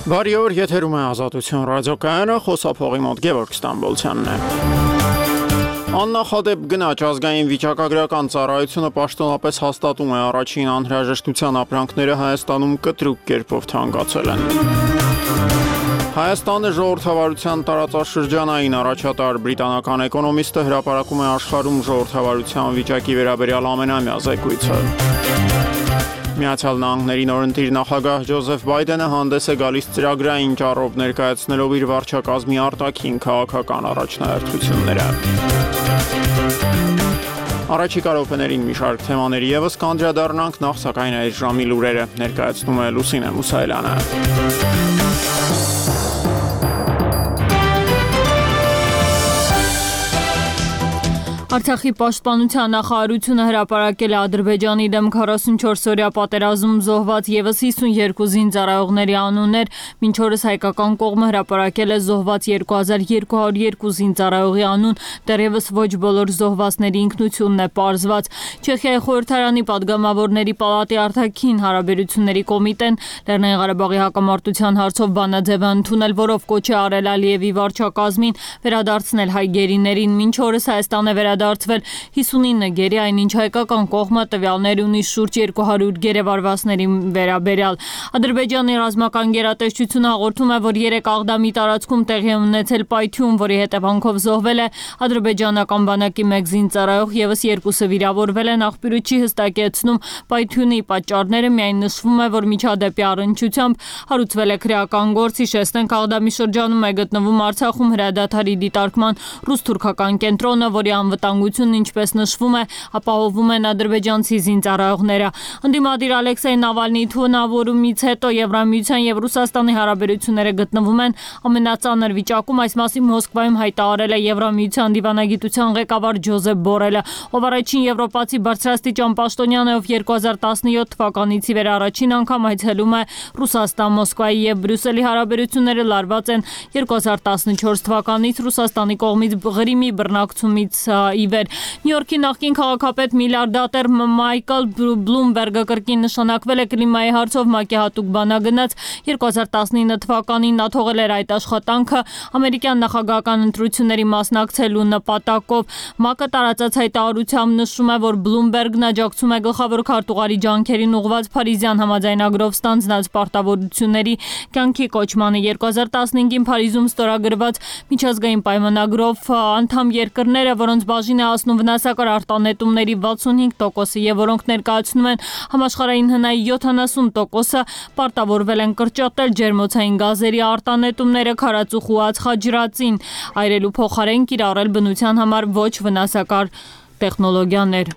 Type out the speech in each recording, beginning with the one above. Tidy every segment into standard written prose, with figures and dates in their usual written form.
Բարի օր, եթերում է Ազատություն ռադիոկայանը, խոսափողի մոտ Գևորգ Ստամբոլցյանն է։ Աննախադեպ գնաճ ազգային վիճակագրական ծառայությունը պաշտոնապես հաստատում է առաջին անհրաժեշտության ապրանքները Հայաստանում կտրուկ կերպով թանկացել են։ Հայաստանը ժողովրդավարության տարածաշրջանային առաջատար բրիտանական էկոնոմիստը հրապարակում է աշխարհում ժողովրդավարության վիճակի վերաբերյալ ամենամյա զեկույցը։ Միացյալ Նահանգների նորընտիր նախագահ Ջոզեֆ Բայդենը հանդես է գալիս ծրագրային ճառով ներկայացնելով իր վարչակազմի արտաքին քաղաքական առաջնահերթությունները։ Առաջիկա րոպեներին մի շարք թեմաների ևս կանդրադառնանք, նախ սակայն այս ժամի լուրերը ներկայացնում է Լուսինե Մուսայելյանը։ Արցախի պաշտպանության նախարարությունը հրապարակել է Ադրբեջանի դեմ 44-օրյա պատերազմ զոհված ևս 52 զինծառայողների անուններ, մինչ օրս հայկական կողմը հրապարակել է զոհված 2202 զինծառայողի անուն, դեռևս ոչ բոլոր զոհվածների ինքնությունն է պարզված։ Չեխիայի խորհրդարանի падգամավորների պալատի արտաքին հարաբերությունների կոմիտեն Լեռնային Ղարաբաղի հակամարտության հարցով բանաձև է ընդունել, որով կոչ է արել Ալիևի վարչակազմին վերադարձնել հայ գերիներին, մինչ օրս Հայաստան է դարձվել 59 գերի, այնինչ հայկական կողմը տվյալներ ունի շուրջ 200 գերեվարվածների վերաբերյալ։ Ադրբեջանի ռազմական գերատեսչությունը հաղորդում է, որ 3 Աղդամի տարածքում տեղի է ունեցել պայթյուն, որի հետևանքով զոհվել է ադրբեջանական բանակի 1 զինծառայող, ևս 2-ը վիրավորվել են։ Աղբյուրը չի հստակեցնում պայթյունի պատճառները, միայն նշվում է, որ միջադեպի առնչությամբ հարուցվել է քրեական գործ։ Հիշեցնենք, Աղդամի շրջանում է գտնվում Արցախում հրադադարի դիտարկման ռուս-թուրքական կենտրոնը, որի անվտանգությունն, ինչպես նշվում է, ապահովում են ադրբեջանցի զինծառայողները։ Ընդդիմադիր Ալեքսեյ Նավալնիի թունավորումից հետո Եվրամիության եւ Ռուսաստանի հարաբերությունները գտնվում են ամենածանր վիճակում։ Այս մասին Մոսկվայում հայտարարել է Եվրամիության դիվանագիտության ղեկավար Ջոզեփ Բորելը, ով առաջին եվրոպացի բարձրաստիճան պաշտոնյան է, ով 2017 թվականից ի վեր առաջին անգամ այցելում է Ռուսաստան։ Մոսկվայի եւ Բրյուսելի հարաբերությունները լարված են 2014 թվականից Ռուսաստանի կողմից Ղրիմի բռնակցումից ի վեր։ Նյու Յորքի նախկին քաղաքապետ միլիարդատեր Մայքլ Բլումբերգը կրկին նշանակվել է կլիմայի հարցով ՄԱԿ-ի հատուկ բանագնաց։ 2019 թվականին նա թողել էր այդ աշխատանքը ամերիկյան նախագահական ընտրությունների մասնակցելու նպատակով։ ՄԱԿ-ը տարածած հայտարարությամբ նշում է, որ Բլումբերգն աջակցում է գլխավոր քարտուղարի ջանքերին ուղղված Փարիզյան համաձայնագրով ստանձնած պարտավորությունների կյանքի կոչմանը։ 2015-ին Փարիզում ստորագրված միջազգային պայմանագրով անդամ երկրները, որոնց բաժին է հասնում վնասակար արտանետումների 65%-ը եւ որոնք ներկայացնում են համաշխարհային հնայի 70%-ը, պարտավորվել են կրճատել ջերմոցային գազերի արտանետումները քարածուխ ու ածխաջրածին, այրելու փոխարեն կիրառել բնության համար ոչ վնասակար տեխնոլոգիաներ։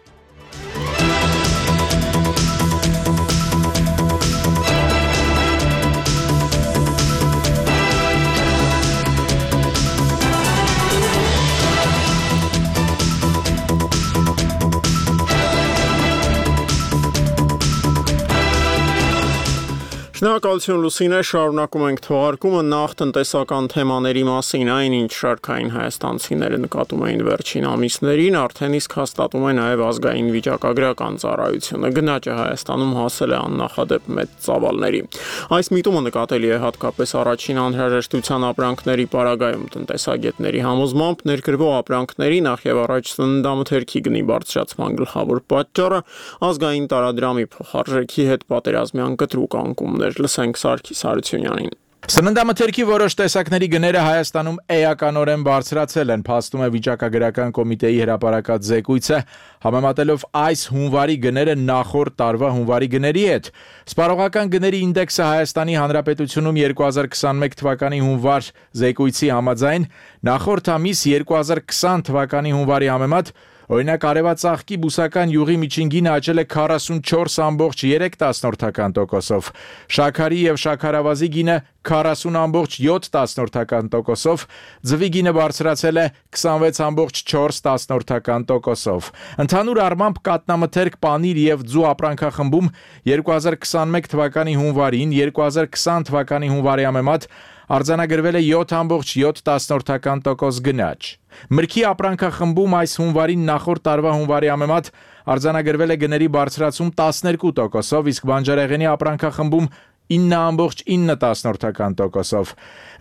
Շնորհակալություն Լուսինե, շարունակում ենք թողարկումը, նախ տնտեսական թեմաների մասին, այնինչ շարքային հայաստանցիները նկատում էին վերջին ամիսներին, արդեն իսկ հաստատում է նաև ազգային վիճակագրական ծառայությունը։ Գնաճը Հայաստանում հասել է աննախադեպ մեծ ծավալների։ Այս միտումը նկատելի է հատկապես առաջին անհրաժեշտության ապրանքների պարագայում։ Տնտեսագետների համոզմամբ ներկրվող ապրանքների նախ եւ առաջ սննդամթերքի գնի բարձրացման գլխավոր պատճառը ազգային տարադրամի փոխարժեքի հետ պատերազմյան կտրուկ անկումներ։ Լսենք Սարգիս Հարությունյանին։ Սննդամթերքի որոշ տեսակների գները Հայաստանում էականորեն բարձրացել են, փաստում է վիճակագրական կոմիտեի հրապարակած զեկույցը, համեմատելով այս հունվարի գները նախորդ տարվա հունվարի գների հետ։ Սպառողական գների ինդեքսը Հայաստանի Հանրապետությունում 2021 թվականի հունվար զեկույցի համաձայն նախորդ ամիս 2020 թվականի հունվարի համեմատ օրինակ արևածաղկի բուսական յուղի միջին գինը աճել է 44.3%-ով, շաքարի եւ շաքարավազի գինը 40.7%-ով, ձվի գինը բարձրացել է 26.4%-ով։ Ընդհանուր առմամբ կատնամթերք, պանիր եւ ձու ապրանքախմբում 2021 թվականի հունվարին 2020 թվականի հունվարի համեմատ արձանագրվել է 7.7% գնաճ։ Մրգի ապրանքախմբում այս հունվարին նախորդ տարվա հունվարի համեմատ արձանագրվել է գների բարձրացում 12%-ով, իսկ բանջարեղենի ապրանքախմբում 9.9%-ով։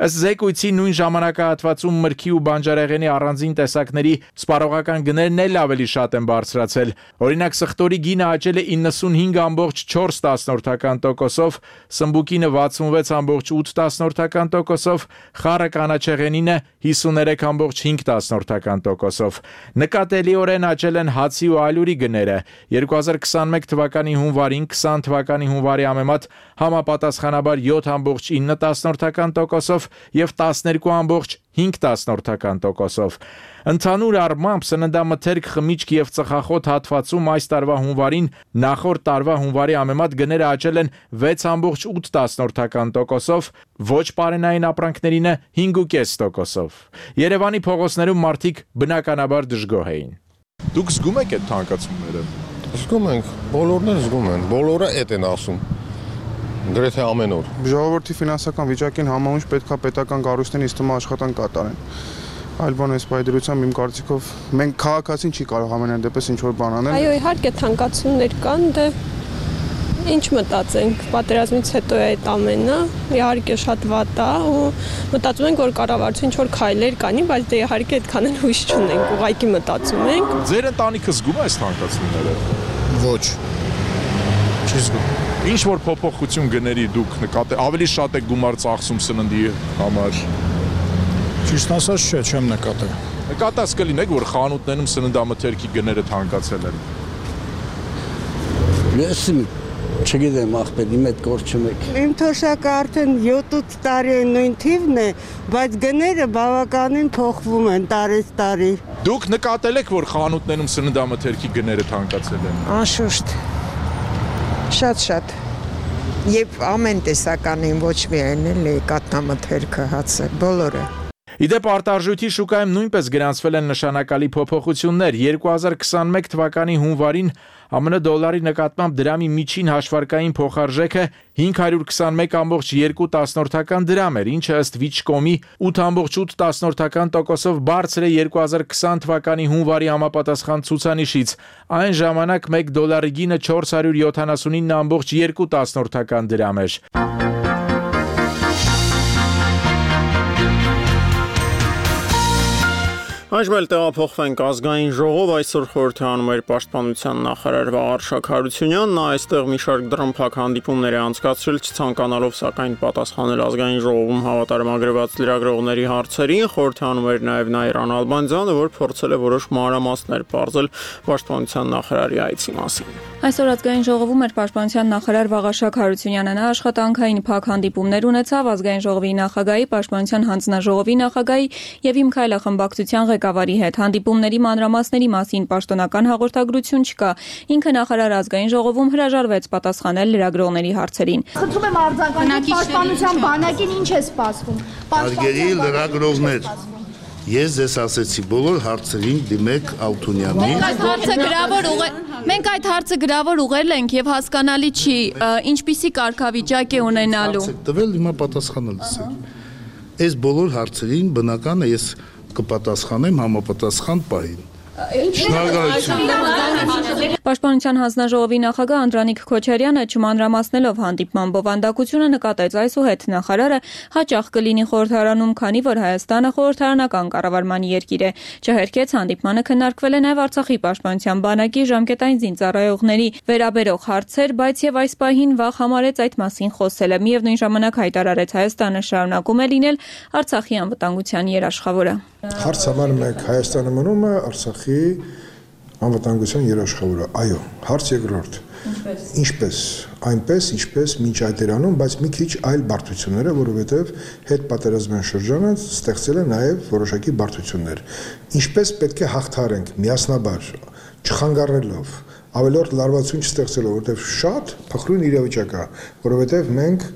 Ըստ զեկույցի նույն ժամանակահատվածում մրգի ու բանջարեղենի առանձին տեսակների սպառողական գներն էլ ավելի շատ են բարձրացել։ Օրինակ սխտորի գինը աճել է 95.4%-ով, սմբուկինը 66.8%-ով, խառը կանաչեղենինը 53.5%-ով։ Նկատելիորեն աճել են հացի ու ալյուրի գները։ 2021 թվականի հունվարին 20 թվականի հունվարի համեմատ համապատասխանաբար 7.9%-ով եւ 12.5%-ով։ Ընդհանուր առմամբ սննդամթերք, խմիչք եւ ծխախոտ հատվածում այս տարվա հունվարին նախորդ տարվա հունվարի համեմատ գները աճել են 6.8%-ով, ոչ պարենային ապրանքներինը 5.5%-ով։ Երևանի փողոցներում մարդիկ բնականաբար դժգոհ էին։ Դուք զգում եք այդ թանկացումները։ Զգում ենք, բոլորն էլ զգում են, բոլորը այդ են ասում։ Գրեթե ամեն օր։ Ժողովրդի ֆինանսական վիճակին համահունչ պետք է պետական կառույցներն ինձ թվում է աշխատանք կատարեն։ Այլ բան այս պայդրությամբ իմ կարծիքով մենք քաղաքացին չի կարող ամենայն դեպս ինչ որ բան անել։ Այո, իհարկե թանկացումներ կան, դե ինչ մտածենք, պատերազմից հետո է այդ ամենը, իհարկե շատ վատ է ու մտածում ենք, որ կառավարությունը ինչ որ քայլեր կանի, բայց դե իհարկե այդքան էլ հույս չունենք, ուղղակի մտածում ենք։ Ձեր ընտանիքը զգում է այս թանկացումները։ Ոչ։ Չի զգում։ Ինչ որ փոփոխություն գների դուք նկատել, ավելի շատ եք գումար ծախսում սննդի համար։ Ճիշտ ասած չէ, չեմ նկատել։ Նկատած կլինեք, որ խանութներում սննդամթերքի գները թանկացել են։ Ես չգիտեմ, ախպեր, իմ այդ գործ չմեք։ Իմ թոշակը արդեն 7-8 տարի է նույն թիվն է, բայց գները բավականին փոխվում են տարեց տարի։ Դուք նկատել եք, որ խանութներում սննդամթերքի գները թանկացել են։ Անշուշտ։ Շատ։ Եվ ամեն տեսականին ոչ միայն էլի կաթնամթերքը հացը, բոլորը։ Իդեպ արտարժույթի շուկայում նույնպես գրանցվել են նշանակալի փոփոխություններ։ 2021 թվականի հունվարին ԱՄՆ դոլարի նկատմամբ դրամի միջին հաշվարկային փոխարժեքը 521.2 դրամ էր, ինչը ըստ Վիչկոմի 8.8%-ով բարձր է 2020 թվականի հունվարի համապատասխան ցուցանիշից։ Այն ժամանակ 1 դոլարի գինը 479.2 դրամ էր։ Այժմ էլ տեղափոխվենք ազգային ժողով, այսօր խորհրդանում էր պաշտպանության նախարար Վաղարշակ Հարությունյանն, նա այստեղ մի շարք դռնփակ հանդիպումներ է անցկացրել, չցանկանալով սակայն պատասխանել ազգային ժողովում հավատարմագրված լրագրողների հարցերին, խորհրդանում էր նաև Նաիրա Նալբանդյանը, որ փորձել է որոշ մանրամասներ պարզել պաշտպանության նախարարի այցի մասին։ Այսօր ազգային ժողովում էր պաշտպանության նախարար Վաղարշակ Հարությունյանը, նա աշխատանքային փակ հանդիպումներ ունեցավ ազգային ժողովի նախագահի, պաշտպանության հանձնաժողովի նախագահի եւ Իմ Քայլը խմբակցության ղեկավարի հետ։ Հանդիպումների մանրամասների մասին պաշտոնական հաղորդագրություն չկա։ Ինքը նախարար ազգային ժողովում հրաժարվեց պատասխանել լրագրողների հարցերին։ Խնդրում եմ արձագանքել պաշտպանության բանակին ինչ է սպասվում։ Հարգելի լրագրողներ, ես ձեզ ասեցի բոլոր հարցերին դիմեք Ալթունյանին։ Մենք այդ հարցը գրավոր ուղղել ենք եւ հասկանալի չի, ինչպիսի կարգավիճակ է ունենալու։ Տվել հիմա պատասխանելիս եք։ Այս բոլոր հարցերին բնական է ես կպատասխանեմ համապատասխան պահին։ Պաշտպանության հանձնաժողովի նախագահ Անդրանիկ Քոչարյանը չմանրամասնելով հանդիպման բովանդակությունը նկատեց այսուհետ նախարարը հաճախ կլինի խորհրդարանում, քանի որ Հայաստանը խորհրդարանական կառավարման երկիր է։ Չհերքեց հանդիպմանը քննարկվել է նաև Արցախի պաշտպանության բանակի ժամկետային զինծառայողների վերաբերող հարցեր, բայց եւ այս պահին վաղ համարեց այդ մասին խոսելը։ Միևնույն ժամանակ հայտարարեց Հայաստանը շարունակում է լինել Արցախի անվտանգության երաշխավորը։ Հարց համար մեկ Հայաստանը մնում է Արցախի անվտանգության երաշխավորը։ Այո, հարց երկրորդ։ Ինչպես, այնպես, ինչպես մինչ այդ էր անում, բայց մի քիչ այլ բարդությունները, որովհետև հետ պատերազմյան շրջանը ստեղծել է նաև որոշակի բարդություններ։ Ինչպես պետք է հաղթարենք միասնաբար, չխանգարելով, ավելորդ լարվածություն չստեղծելով, որովհետև շատ փխրուն իրավիճակ է, որովհետև մենք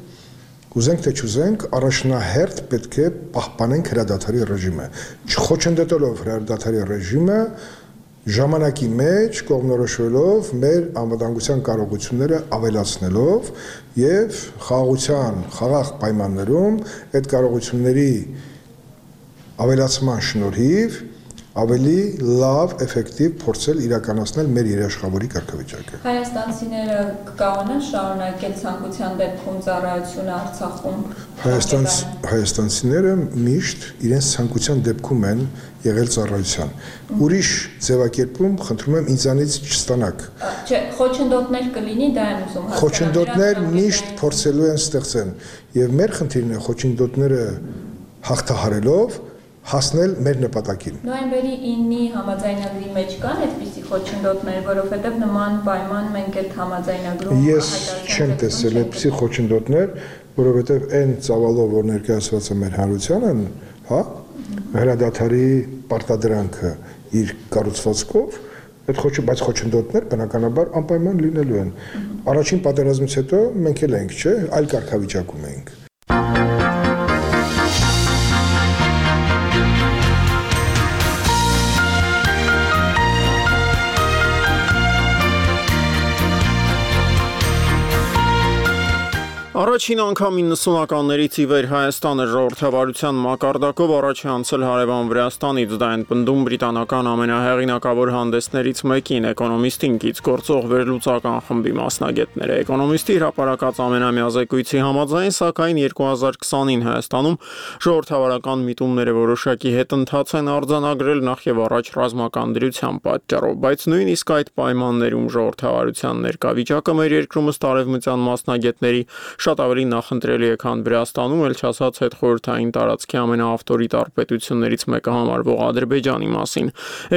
Ուզենք թե չուզենք, առաջնահերթ պետք է պահպանենք հրադադարի ռեժիմը, չխոչընդոտելով հրադադարի ռեժիմը, ժամանակի մեջ կողմնորոշվելով մեր անվտանգության կարողությունները ավելացնելով եւ խաղաղության խաղաղ պայմաններում այդ կարողությունների ավելացման շնորհիվ ավելի լավ, էֆեկտիվ փորձել իրականացնել մեր երաշխավորի կարգավիճակը։ Հայաստանցիները կկարողանան շարունակել ցանկության դեպքում ծառայությունը Արցախում։ Հայաստանցիները միշտ իրենց ցանկության դեպքում են եղել ծառայության։ Ուրիշ ձևակերպում խնդրում եմ ինձանից չստանաք։ Չէ, խոչընդոտներ կլինի, դա եմ ուզում հասկանալ։ Խոչընդոտներ միշտ փորձելու են ստեղծեն, եւ մեր խնդիրն է խոչընդոտները հաղթահարելով հասնել մեր նպատակին։ Նոյեմբերի 9-ի համաձայնագրի մեջ կան այդպիսի խոչընդոտներ, որովհետև նման պայման մենք այդ համաձայնագրում Ես չեմ տեսել այդպիսի խոչընդոտներ, որովհետև այն ծավալով, որ ներկայացված է մեր հանրությանն, հա, հրադադարի պարտադրանքը իր կառուցվածքով, բայց խոչընդոտներ բնականաբար անպայման լինելու են։ Առաջին պատերազմից հետո մենք էլ ենք, չէ, այլ կարգավիճակում ենք։ Առաջին անգամ 90-ականներից ի վեր Հայաստանը ժողովրդավարության մակարդակով առաջ է անցել հարևան Վրաստանից, դա են պնդում բրիտանական ամենահեղինակավոր հանդեսներից մեկին, Էկոնոմիստին կից գործող վերլուծական խմբի մասնագետները։ Էկոնոմիստի հրապարակած ամենամյա զեկույցի համաձայն, սակայն 2020-ին Հայաստանում ժողովրդավարական միտումները որոշակի հետընթաց են արձանագրել նախ եւ առաջ ռազմական դրության պատճառով, բայց նույնիսկ այդ պայմաններում ժողովրդավարության ներկա վիճակը մեր երկրում ըստ արևմտյան մասնագետների շատ ավելի նախընտրելի է, քան Վրաստանում, էլ չասած հետխորհրդային տարածքի ամենաավտորիտար պետություններից մեկը համարվող Ադրբեջանի մասին։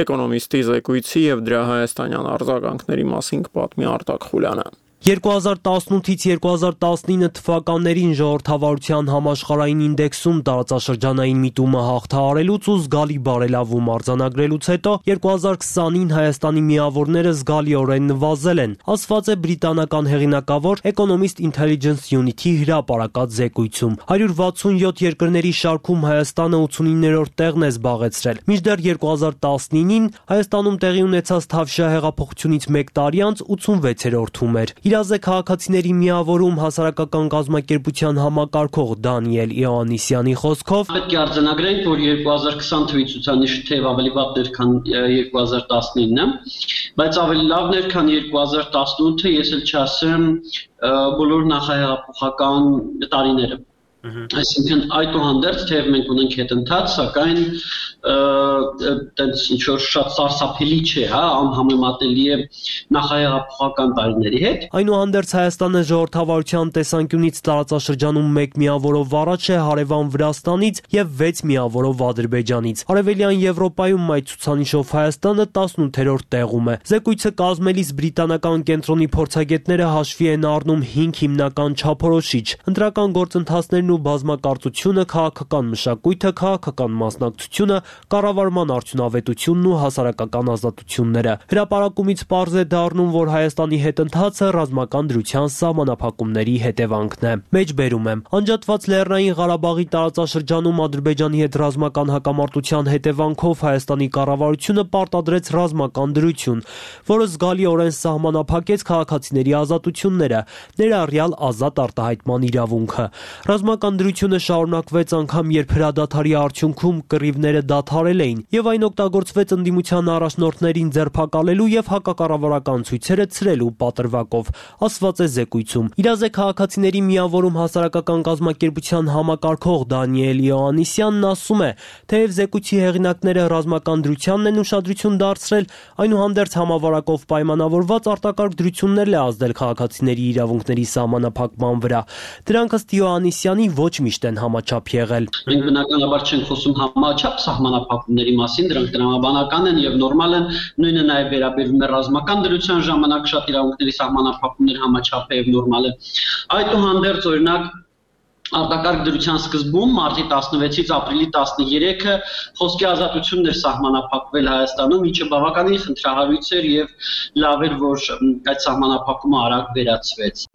Էկոնոմիստի զեկույցի եւ դրա հայաստանյան արձագանքների մասին կպատմի Արտակ Խուլյանը։ 2018-ից 2019 թվականներին ժողովրդավարության համաշխարհային ինդեքսում տարածաշրջանային միտումը հաղթահարելուց ու զգալի բարելավում արձանագրելուց հետո 2020-ին Հայաստանի միավորները զգալիորեն նվազել են, ասված է բրիտանական հեղինակավոր Economist Intelligence Unit-ի հրապարակած զեկույցում։ 167 երկրների շարքում Հայաստանը 89-րդ տեղն է զբաղեցրել։ Մինչդեռ 2019-ին Հայաստանում տեղի ունեցած Թավշյա հեղափոխությունից 1 տարի անց 86-րդում էր։ Իրազ է քաղաքացիների միավորում հասարակական կազմակերպության համակարգող Դանիել Իոաննիսյանի խոսքով պետք է արձանագրենք, որ 2020 թվականի ցուցանիշը թեև ավելի վատն էր, քան 2019-ը, բայց ավելի լավն էր, քան 2018-ը, ես էլ չասեմ բոլոր նախահեղափոխական տարիները։ Այսինքն այդուհանդերձ թեև մենք ունենք հետընթաց, սակայն տենց ինչ որ շատ սարսափելի չէ, հա, անհամեմատելի է նախահեղափոխական տարիների հետ։ Այնուհանդերձ Հայաստանը ժողովրդավարության տեսանկյունից տարածաշրջանում 1 միավորով առաջ է հարևան Վրաստանից եւ 6 միավորով Ադրբեջանից։ Արևելյան Եվրոպայում այդ ցուցանիշով Հայաստանը 18-րդ տեղում է։ Զեկույցը կազմելիս բրիտանական կենտրոնի փորձագետները հաշվի են առնում 5 հիմնական չափորոշիչ՝ ընտրական գործընթացներն ու բազմակարծությունը, քաղաքական մշակույթը, քաղաքական մասնակցությունը, կառավարման արդյունավետությունն ու հասարակական ազատությունները։ Հրապարակումից պարզ է դառնում, որ Հայաստանի հետընթացը ռազմական դրության սահմանափակումների հետևանքն է։ Մեջբերում եմ, անջատված Լեռնային Ղարաբաղի տարածաշրջանում Ադրբեջանի հետ ռազմական հակամարտության հետևանքով Հայաստանի կառավարությունը պարտադրեց ռազմական դրություն, որը զգալիորեն սահմանափակեց քաղաքացիների ազատությունները, ներառյալ ազատ արտահայտման իրավունքը։ Ռազմական դրությունը շարունակվեց անգամ, երբ հրադադարի արդյունքում կռիվները դադարել էին, եւ այն օգտագործվեց ընդդիմության առաջնորդներին ձերբակալելու եւ հակակառավարական ցույցերը ցրելու պատրվակով, ասված է զեկույցում։ Իրազ է քաղաքացիների միավորում հասարակական կազմակերպության համակարգող Դանիել Իոաննիսյանն ասում է, թեև զեկույցի հեղինակները ռազմական դրությանն են ուշադրություն դարձրել, այնուհանդերձ համավարակով պայմանավորված արտակարգ դրություններ է ազդել քաղաքացիների իրավունքների սահմանափակման վրա։ Դրանք ըստ Իոաննիսյանի ոչ միշտ են համաչափ եղել։ Մենք բնականաբար չենք խոսում համաչափ սահմանափակումների մասին, դրանք տրամաբանական են եւ նորմալ են, նույնը նաեւ վերաբերվում է ռազմական դրության ժամանակ շատ իրավունքների սահմանափակումներ համաչափ է եւ նորմալ է։ Այդուհանդերձ օրինակ արտակարգ դրության սկզբում մարտի 16-ից ապրիլի 13-ը խոսքի ազատությունն էր սահմանափակվել Հայաստանում, ինչը բավականին խնդրահարույց էր եւ լավ էր, որ այդ սահմանափակումը արագ վերացվեց։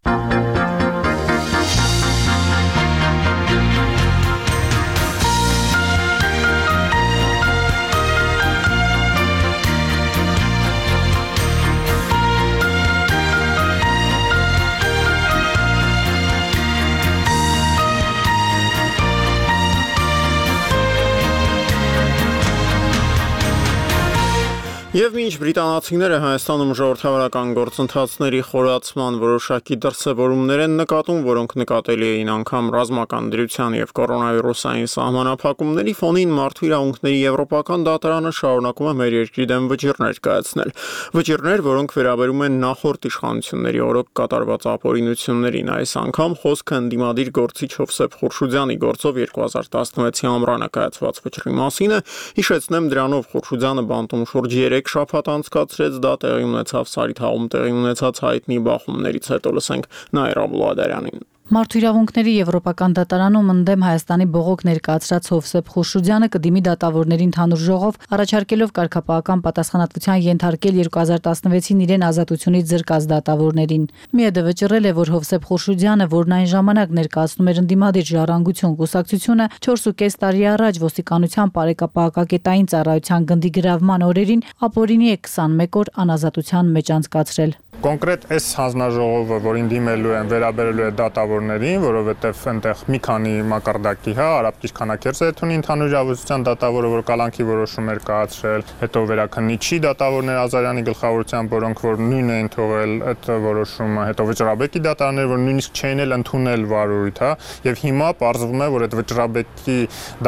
Եվ մինչ բրիտանացիները Հայաստանում ժողովրդավարական գործընթացների խորացման որոշակի դրսևորումներ են նկատում, որոնք նկատելի էին անգամ ռազմական դրության եւ կորոնավիրուսային սահմանափակումների ֆոնին, մարդու իրավունքների եվրոպական դատարանը շարունակում է մեր երկրի դեմ վճիռներ կայացնել։ Վճիռներ, որոնք վերաբերում են նախորդ իշխանությունների օրոք կատարված ապօրինություններին։ Այս անգամ խոսքը ընդդիմադիր գործիչ Հովսեփ Խուրշուդյանի գործով 2016-ի ամռանը կայացված վճռի մասին է։ Հիշեցնեմ, դրանով Խուրշուդյանը բանտում շուրջ 3 շաբաթ անցկացրեց, դա տեղի ունեցավ Սարիթաղում տեղի ունեցած հայտնի բախումներից հետո։ Լսենք Նաիրա Բուլադարյանին։ Մարդու իրավունքների եվրոպական դատարանում ընդդեմ Հայաստանի բողոք ներկայացրած Հովսեփ Խուրշուդյանը կդիմի դատավորների ընդհանուր ժողով, առաջարկելով կարգապահական պատասխանատվության ենթարկել 2016-ին իրեն ազատությունից զրկած դատավորներին։ ՄԻԵԴ վճռել է, որ Հովսեփ Խուրշուդյանը, որն այն ժամանակ ներկայացնում էր ընդդիմադիր Ժառանգություն կուսակցությունը, 4.5 տարի առաջ ոստիկանության բարեկապահակակետային ծառայության գնդի գրավման օրերին ապօրինի է 21 օր անազատության մեջ անցկացրել։ Կոնկրետ այս հանձնաժողովը, որին դիմելու են, վերաբերելու է դատավորներին, որովհետև այնտեղ մի քանի մակարդակի, Արաբկիր Քանաքերձեթունի ընդհանուր իրավասության դատավորը, որ կալանքի որոշում էր կայացրել, հետո վերաքննիչի դատավորներ Ազարյանի գլխավորությամբ, որոնք որ նույնն էին թողել այդ որոշումը, հետո Վճռաբեկի դատարաններ, որ նույնիսկ չէին էլ ընդունել վարույթ, եւ հիմա պարզվում է, որ այդ Վճռաբեկի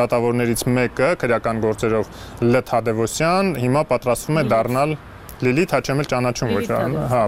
դատավորներից մեկը քրեական գործերով Լ. Թադևոսյան հիմա պատրաստվում է դառնալ Լիլիթ Հաչեմել ճանաչում ոչ,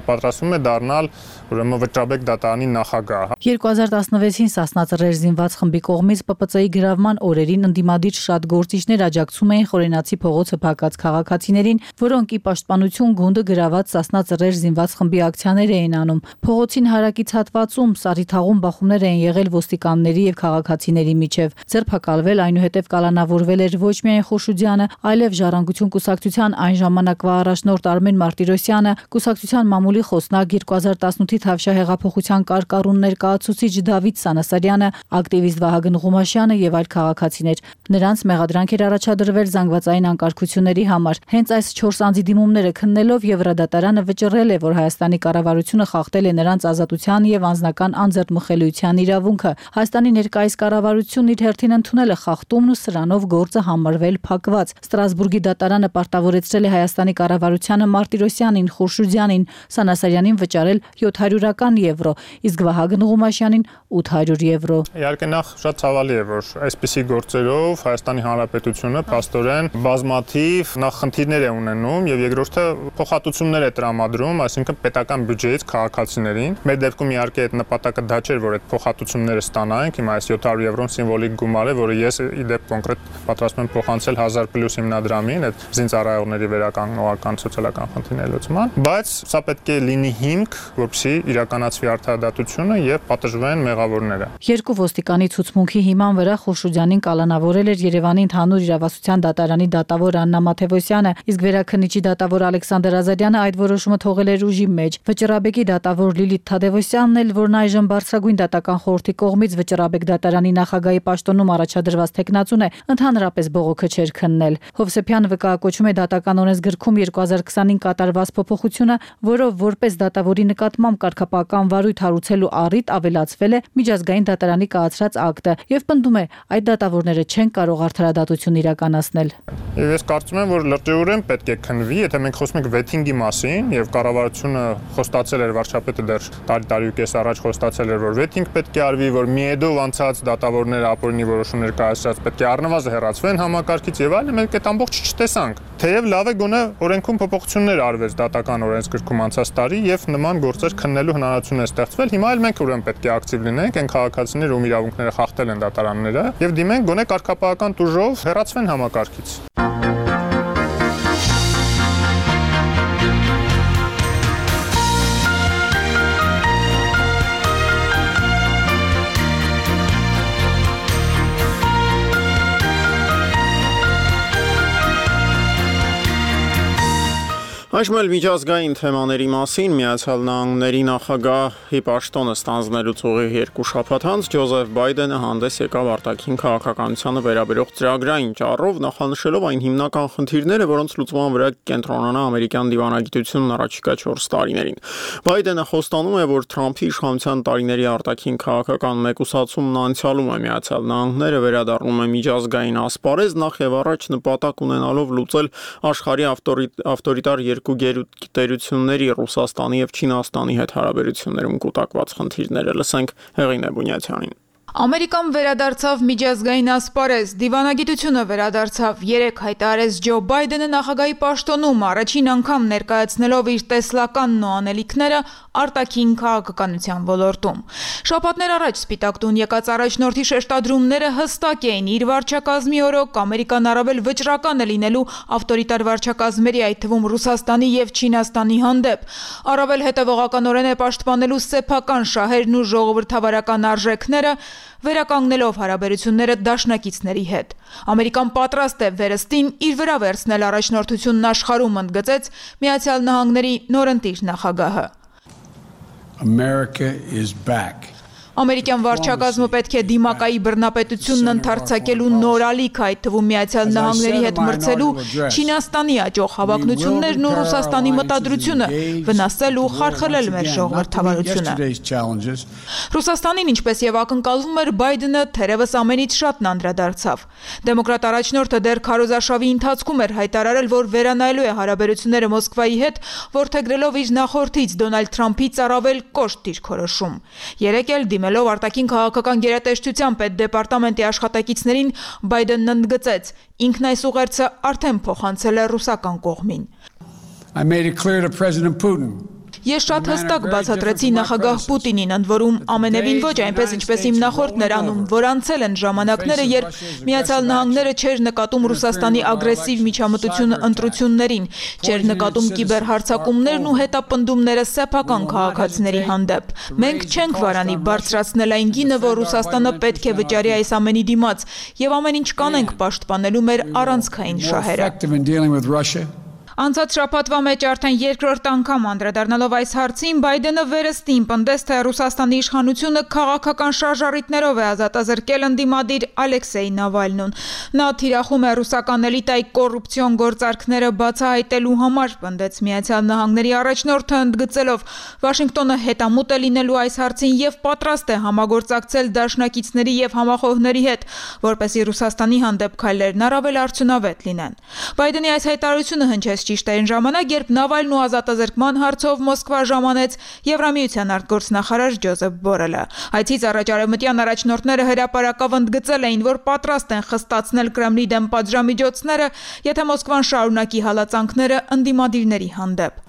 պատրաստվում է դառնալ ուրեմն Վճռաբեկ դատարանի նախագահ։ 2016-ին Սասնա-Ծռեր զինված խմբի կողմից ՊՊՑ-ի գրավման օրերին ընդդիմադիր շատ գործիչներ աջակցում էին Խորենացի փողոցը փակած քաղաքացիներին, որոնք ի պաշտպանություն գունդը գրաված Սասնա-Ծռեր զինված խմբի ակցիաներ էին անում։ Փողոցին հարակից հատվածում Սարիթաղում բախումներ էին եղել ոստիկանների եւ քաղաքացիների միջև։ Ձերբակալվել, այնուհետև կալանավորվել էր ոչ միայն Խուրշուդյանը, այլև Ժառանգություն կուսակցության այն ժամանակվա առաջնորդ Արմեն Մարտիրոսյանը, կուսակցության մամուլի խոսնակ 2018-ի Թավշյա կարկառուն ներկայացուցիչ Դավիթ Սանասարյանը, ակտիվիստ Վահագն Ղումաշյանը եւ այլ քաղաքացիներ։ Նրանց մեղադրանք էր առաջադրվել զանգվածային անկարգությունների համար։ Հենց այս 4 անձի դիմումները քննելով Եվրադատարանը վճռել է, որ Հայաստանի կառավարությունը խախտել է նրանց ազատության եւ անձնական անձեռնմխելիության իրավունքը։ Հայաստանի ներկայիս կառավարությունն իր հերթին ընդունել է խախտումն ու սրանով գործը համարվել փակված։ Ստրասբուրգի դատարանը պարտավորեցրել է Հայաստանի կառավարությանը Մարտիրոսյանին, Խուրշուդյանին, Սանասարյանին վճարել 700 եվրո, իսկ Վահագն Ղումաշյանին 800 եվրո։ Իհարկե նախ շատ ցավալի է, որ այսպիսի գործերով Հայաստանի Հանրապետությունը փաստորեն բազմաթիվ նախխնդիրներ է ունենում եւ երկրորդը փոխհատուցումներ է տրամադրում, այսինքն պետական բյուջեից քաղաքացիներին։ Մեր դեպքում իհարկե այդ նպատակը դա չէր, որ այդ փոխհատուցումները ստանանք, հիմա այս 700 եվրոն սիմվոլիկ գումար է, որը ես ի դեպ կոնկրետ պատրաստում եմ փոխանցել 1000+ հիմնադրամին, այդ զինծառայողների վերականգնողական սոցիալական խնդիրների լուծման, բայց սա պետք է լինի հիմք, որպեսզի իրականացվի արդարադատությունը եւ պատժվեն մեղավորները։ Երկու ոստիկանի ցուցմունքի հիման վրա Խուրշուդյանին կալանավորել էր Երևանի ընդհանուր իրավասության դատարանի դատավոր Աննա Մաթևոսյանը, իսկ վերաքննիչի դատավոր Ալեքսանդր Ազարյանը այդ որոշումը թողել էր ուժի մեջ։ Վճռաբեկի դատավոր Լիլիթ Թադևոսյանն էլ, որն այժմ բարձրագույն դատական խորհրդի կողմից Վճռաբեկ դատարանի նախագահի պաշտոնում առաջադրված տեխնացուն է, ընդհանրապես բողոքը չէր քննել։ Հովսեփյանը վկայակոչում է դատական օրենսգրքում 2020-ին կատարված փոփոխությունը, որով որպես դատավորի նկատմամբ կարգապահական վարույթ հարուցելու առիթ ավելացվել է միջազգային դատարանի կայացրած ակտը եւ պնդում է, այդ դատավորները չեն կարող արդարադատություն իրականացնել։ Եվ ես կարծում եմ, որ լրջորեն պետք է քննվի, եթե մենք խոսում ենք վեթինգի մասին եւ կառավարությունը խոստացել էր, վարչապետը դեռ տարի ու կես առաջ խոստացել էր, որ վեթինգ պետք է արվի, որ ՄԻԵԴ-ով անցած դատավորները ապօրինի որոշումներ կայացրած պետք է առնվազն հեռացվեն համակարգից եւ այլն, մենք այդ ամբողջը չտեսանք։ Թեև լավ է գոնե օրենքում փոփոխություններ արվեց դատական օրենսգրքում անցած տարի եւ նման գործեր քննելու հնարավորություն է ստեղծվել։ Հիմա էլ մենք ուրեմն պետք է ակտիվ լինենք, այն քաղաքացիները, ում իրավունքները խախտել են դատարանները, եւ դիմենք գոնե կարգապահական տուժով հեռացվեն համակարգից։ Այժմ էլ միջազգային թեմաների մասին Միացյալ Նահանգների նախագահի պաշտոնը ստանձնելուց ուղիղ 2 շաբաթ անց Ջոզեֆ Բայդենը հանդես եկավ արտաքին քաղաքականությանը վերաբերող ծրագրային ճառով, նախանշելով այն հիմնական խնդիրները, որոնց լուծման վրա կենտրոնանա ամերիկյան դիվանագիտությունն առաջիկա 4 տարիներին։ Բայդենը խոստանում է, որ Թրամփի իշխանության տարիների արտաքին քաղաքական մեկուսացումն անցյալում է, Միացյալ Նահանգները վերադառնում է միջազգային ասպարեզ, նախ եւ առաջ նպատակ ունենալով լուծել աշխարհի ավտորիտար երկու գերտերությունների Ռուսաստանի եւ Չինաստանի հետ հարաբերություններում կուտակված խնդիրները։ Լսենք Հեղինե Բունյացյանին։ Ամերիկան վերադարձավ միջազգային ասպարեզ, դիվանագիտությունը վերադարձավ, 3 հայտարարեց Ջո Բայդենը նախագահի պաշտոնում, առաջին անգամ ներկայացնելով իր տեսլականն ու անելիքները արտաքին քաղաքականության ոլորտում։ Շաբաթներ առաջ Սպիտակ տուն եկած առաջնորդի շեշտադրումները հստակ էին, իր վարչակազմի օրոք Ամերիկան առավել վճռական է լինելու ավտորիտար վարչակազմերի, այդ թվում Ռուսաստանի եւ Չինաստանի հանդեպ, առավել հետևողականորեն է պաշտպանելու սեփական շահերն ու ժողովրդավարական արժեքները, վերականգնելով հարաբերությունները դաշնակիցների հետ։ Ամերիկան պատրաստ է վերստին իր վրա վերցնել առաջնորդությունն աշխարհում, ընդգծեց Միացյալ Նահանգների նորընտիր նախագահը։ America is back. Ամերիկյան վարչակազմը պետք է դիմակայի բռնապետությունն ընդարձակելու նոր ալիք, այդ թվում Միացյալ Նահանգների հետ մրցելու Չինաստանի աճող հավակնություններն ու Ռուսաստանի մտադրությունը, վնասել ու խարխլել մեր ժողովրդավարությունը։ Ռուսաստանին, ինչպես եւ ակնկալվում էր, Բայդենը թերևս ամենից շատն անդրադարձավ։ Դեմոկրատ առաջնորդը դեռ քարոզարշավի ընթացքում էր հայտարարել, որ վերանայելու է հարաբերությունները Մոսկվայի հետ, որդեգրելով իր նախորդից Դոնալդ Թրամփից առավել կոշտ դիրքորոշում։ Երեկ էլ դիմելով արտաքին քաղաքական գերատեսչության պետդեպարտամենտի աշխատակիցներին, Բայդենն ընդգծեց, ինքն այս ուղերձը արդեն փոխանցել է ռուսական կողմին։ I made it clear to President Putin. Ես շատ հստակ բացատրեցի նախագահ Պուտինին, ընդ որում ամենևին ոչ այնպես, ինչպես իմ նախորդն էր անում, որ անցել են ժամանակները, երբ Միացյալ Նահանգները չէր նկատում Ռուսաստանի ագրեսիվ միջամտությունը ընտրություններին, չէր նկատում կիբերհարձակումներն ու հետապնդումները սեփական քաղաքացիների հանդեպ։ Մենք չենք վարանի բարձրացնել այն գինը, որ Ռուսաստանը պետք է վճարի այս ամենի դիմաց, եւ ամեն ինչ կանենք պաշտպանելու մեր առանցքային շահերը։ Անցած շաբաթվա մեջ արդեն երկրորդ անգամ անդրադառնալով այս հարցին, Բայդենը վերստին պնդեց, թե Ռուսաստանի իշխանությունը քաղաքական շարժառիթներով է ազատազրկել ընդդիմադիր Ալեքսեյ Նավալնուն։ Նա թիրախում է ռուսական էլիտայի կոռուպցիոն գործարքները բացահայտելու համար, պնդեց Միացյալ Նահանգների առաջնորդը, ընդգծելով Վաշինգտոնը հետամուտ է լինելու այս հարցին եւ պատրաստ է համագործակցել դաշնակիցների եւ համախոհների հետ, որպեսզի Ռուսաստանի հանդեպ քայլերն առավել արդյունավետ լինեն։ Բայդենի այս հայտարարությունը հնչեց ճիշտ այն ժամանակ, երբ Նավալն ու ազատազրկման հարցով Մոսկվա ժամանեց Եվրամիության արտգործնախարար Ջոզեփ Բորելը։ Այցից առաջ արևմտյան առաջնորդները հրապարակավ ընդգծել էին, որ պատրաստ են խստացնել Կրեմլի դեմ պատժամիջոցները, եթե Մոսկվան շարունակի հալածանքները ընդդիմադիրների հանդեպ։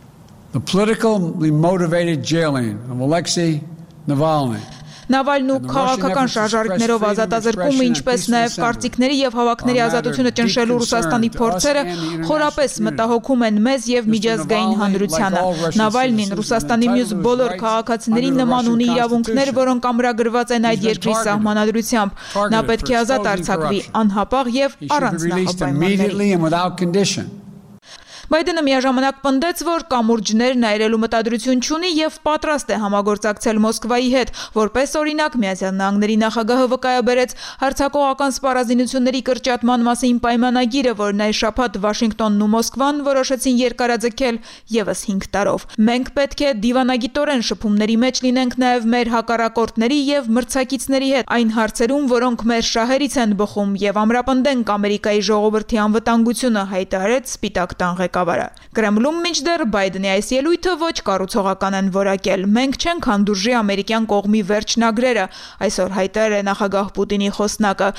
The politically motivated jailing of Alexei Navalny. Նավալն ու քաղաքական շարժառիթներով ազատազրկումը, ինչպես նաև կարծիքների եւ հավաքների ազատությունը ճնշելու Ռուսաստանի փորձերը խորապես մտահոգում են մեզ եւ միջազգային հանրությանը։ Նավալնին Ռուսաստանի մյուս բոլոր քաղաքացիների նման ունի իրավունքներ, որոնք ամրագրված են այդ երկրի սահմանադրությամբ։ Նա պետք է ազատ արձակվի անհապաղ եւ առանց նախապայմանների։ Բայդենը միաժամանակ պնդեց, որ կամուրջներ այրելու մտադրություն չունի եւ պատրաստ է համագործակցել Մոսկվայի հետ, որպես օրինակ Միացյալ Նահանգների նախագահը վկայաբերեց հարձակողական սպառազինությունների կրճատման մասին պայմանագիրը, որն այս շաբաթ Վաշինգտոնն ու Մոսկվան որոշեցին երկարաձգել եւս 5 տարով։ Մենք պետք է դիվանագիտորեն շփումների մեջ լինենք նաեւ մեր հակառակորդների եւ մրցակիցների հետ այն հարցերում, որոնք մեր շահերից են բխում, եւ ամրապնդենք Ամերիկայի ժողովրդի անվտանգությունը, հայտարարեց Սպիտակ տան Կրեմլում մինչդեռ Բայդենի այս ելույթը ոչ կառուցողական են որակել։ Մենք չենք հանդուրժի ամերիկյան կողմի վերջնագրերը, այսօր հայտարարել է նախագահ Պուտինի խոսնակը։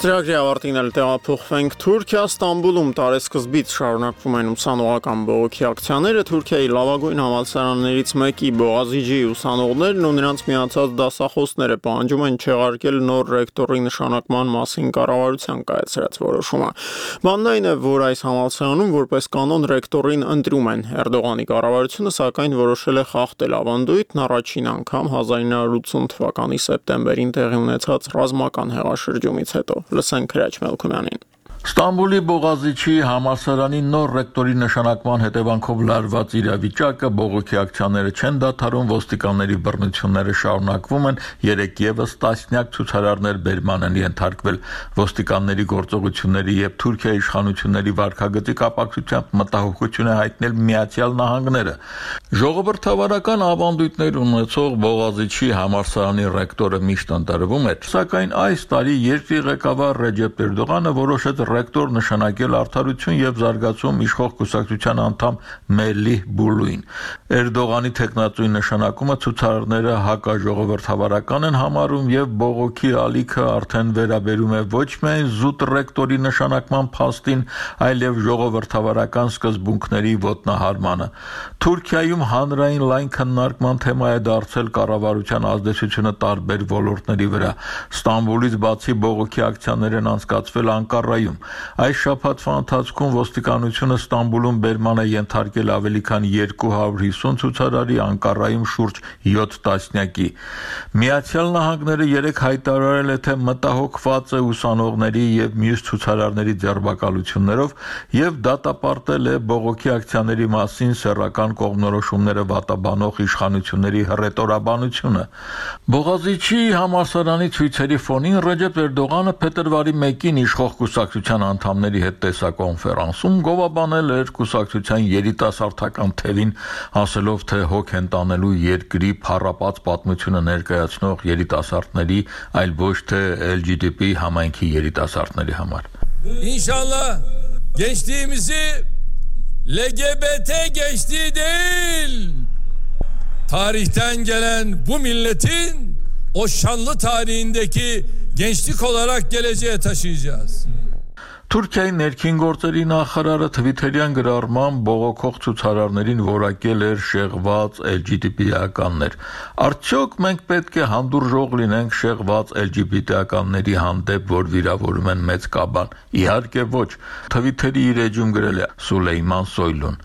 Ծրագրի ավարտին էլ տեղափոխվենք Թուրքիա, Ստամբուլում տարեսկզբից շարունակվում են ուսանողական բողոքի ակցիաները։ Թուրքիայի լավագույն համալսարաններից մեկի Բողազիջի ուսանողներն ու նրանց միացած դասախոսները պահանջում են չեղարկել նոր ռեկտորի նշանակման մասին կառավարության կայացրած որոշումը։ Բանն այն է, որ այս համալսարանում որպես կանոն ռեկտորին ընտրում են։ Էրդողանի կառավարությունը սակայն որոշել է խախտել ավանդույթն առաջին անգամ 1980 թվականի սեպտեմբերին տեղի ունեցած ռազմական հեղաշրջումից հետո։ Լսենք Հրաչ Մելքումյանին։ Ստամբուլի Բողազիջի համալսարանի նոր ռեկտորի նշանակման հետևանքով լարված իրավիճակը բողոքի ակցիաները չեն դադարում, ոստիկանների բռնությունները շարունակվում են, երեկ եւս տասնյակ ցուցարարներ բերման են ենթարկվել։ Ոստիկանների գործողությունների եւ Թուրքիայի իշխանությունների վարքագծի կապակցությամբ մտահոգություն է հայտնել Միացյալ Նահանգները։ Ժողովրդավարական ավանդույթներ ունեցող Բողազիջի համալսարանի ռեկտորը միշտ ընտրվում էր, սակայն այս տարի երկրի ղեկավար Ռեջեփ Էրդողանը որոշեց ռեկտոր նշանակել Արդարություն եւ զարգացում իշխող կուսակցության անդամ Մելիհ Բուլուին։ Էրդողանի տեխնատուի նշանակումը ցուցարարները հակաժողովրդավարական են համարում եւ բողոքի ալիքը արդեն վերաբերում է ոչ միայն զուտ ռեկտորի նշանակման փաստին, այլև ժողովրդավարական սկզբունքների ոտնահարմանը։ Թուրքիայում հանրային լայն քննարկման թեմա է դարձել կառավարության ազդեցությունը տարբեր ոլորտների վրա։ Ստամբուլից բացի բողոքի ակցիաներ են անցկացվել Անկարայում։ Այս շաբաթվա ընթացքում ոստիկանությունը Ստամբուլում բերման է ենթարկել ավելի քան 250 ցուցարարի, Անկարայում շուրջ 7 տասնյակի։ Միացյալ Նահանգները երեք հայտարարել է, թե մտահոգված է ուսանողների եւ մյուս ցուցարարների ձերբակալություններով եւ դատապարտել է բողոքի ակցիաների մասին սեռական կողմնորոշումները վատաբանող իշխանությունների հռետորաբանությունը։ Բողազիջի համալսարանի ցույցերի ֆոնին Ռեջեփ Էրդողանը փետրվարի 1-ին իշխող կուսակցության անդամների հետ տեսակոնֆերանսում գովաբանել էր կուսակցության երիտասարդական թևին, ասելով, թե հոգ են տանելու երկրի փառապած պատմությունը ներկայացնող երիտասարդների, այլ ոչ թե LGBT համայնքի երիտասարդների համար։ İnşallah gençliğimizi LGBT gençliği değil, tarihten gelen bu milletin o şanlı tarihindeki gençlik olarak geleceğe taşıyacağız. Թուրքիայի ներքին գործերի նախարարը Թվիթերյան գրառման բողոքող ցուցարարներին որակել էր շեղված LGBT-ականներ։ Արդյոք մենք պետք է հանդուրժող լինենք շեղված LGBT-ականների հանդեպ, որ վիրավորում են մեծ կաբան։ Իհարկե ոչ։ Թվիթերի իր էջում գրել է Սուլեյման Սոյլուն։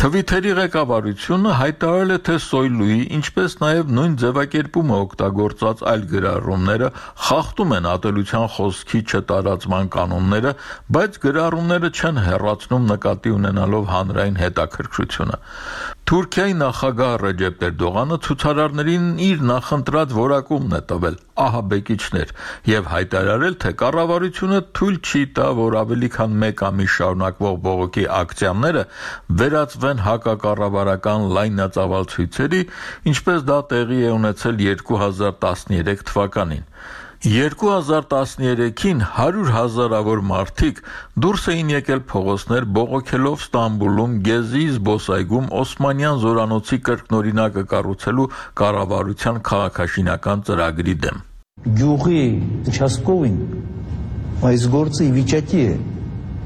Թվիթերի ղեկավարությունը հայտարարել է, թե Սոյլուի, ինչպես նաև նույն ձևակերպումը օգտագործած այլ գրառումները խախտում են ատելության խոսքի չտարածման կանոնները, բայց գրառումները չեն հեռացնում նկատի ունենալով հանրային հետաքրքրությունը։ Թուրքիայի նախագահ Ռեջեփ Էրդողանը ցուցարարներին իր նախընտրած որակումն է տվել՝ ահաբեկիչներ, եւ հայտարարել, թե կառավարությունը թույլ չի տա, որ ավելի քան 1 ամիս շարունակվող բողոքի ակցիաները վերածվեն հակակառավարական լայնածավալ ցույցերի, ինչպես դա տեղի է ունեցել 2013 թվականին։ 2013-ին 100,000-ավոր մարդիկ դուրս էին եկել փողոցներ բողոքելով Ստամբուլում Գեզի զբոսայգում Օսմանյան զորանոցի կրկնօրինակը կառուցելու կառավարության քաղաքաշինական ծրագրի դեմ։ Գյուղի участковին այս գործը ի վիճակի է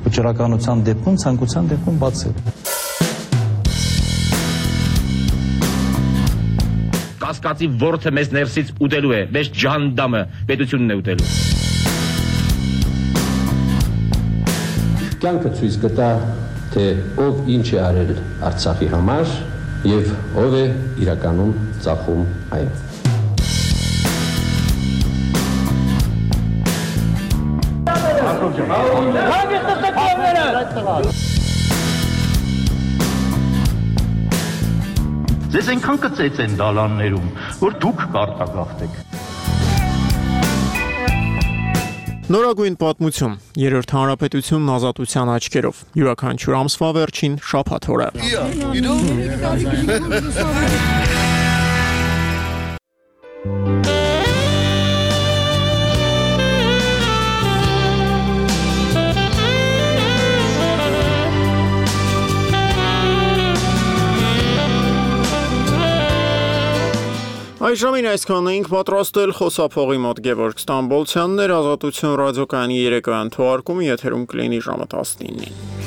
վճռականության դեպքում, ցանկության դեպքում բացել։ Կասկածի ворթը մեզ ներսից ուտելու է, մեզ ջանդամը պետությունն է ուտելու։ Կյանքը ցույց կտա, թե ով ինչ է արել Արցախի համար եւ ով է իրականում ծախում այն։ Ձեզ այնքան կծեց են դալաններում, որ դուք կարտագաղթեք։ Նորագույն պատմություն, երրորդ հանրապետությունն ազատության աչքերով, յուրաքանչյուր ամսվա վերջին շաբաթ օրը։ Այս ժամին այսքանն էինք պատրաստել, խոսափողի մոտ Գևորգ Ստամբոլցյանն էր, Ազատություն ռադիոկայանի երեկոյան թողարկումը եթերում կլինի ժամը 19-ին։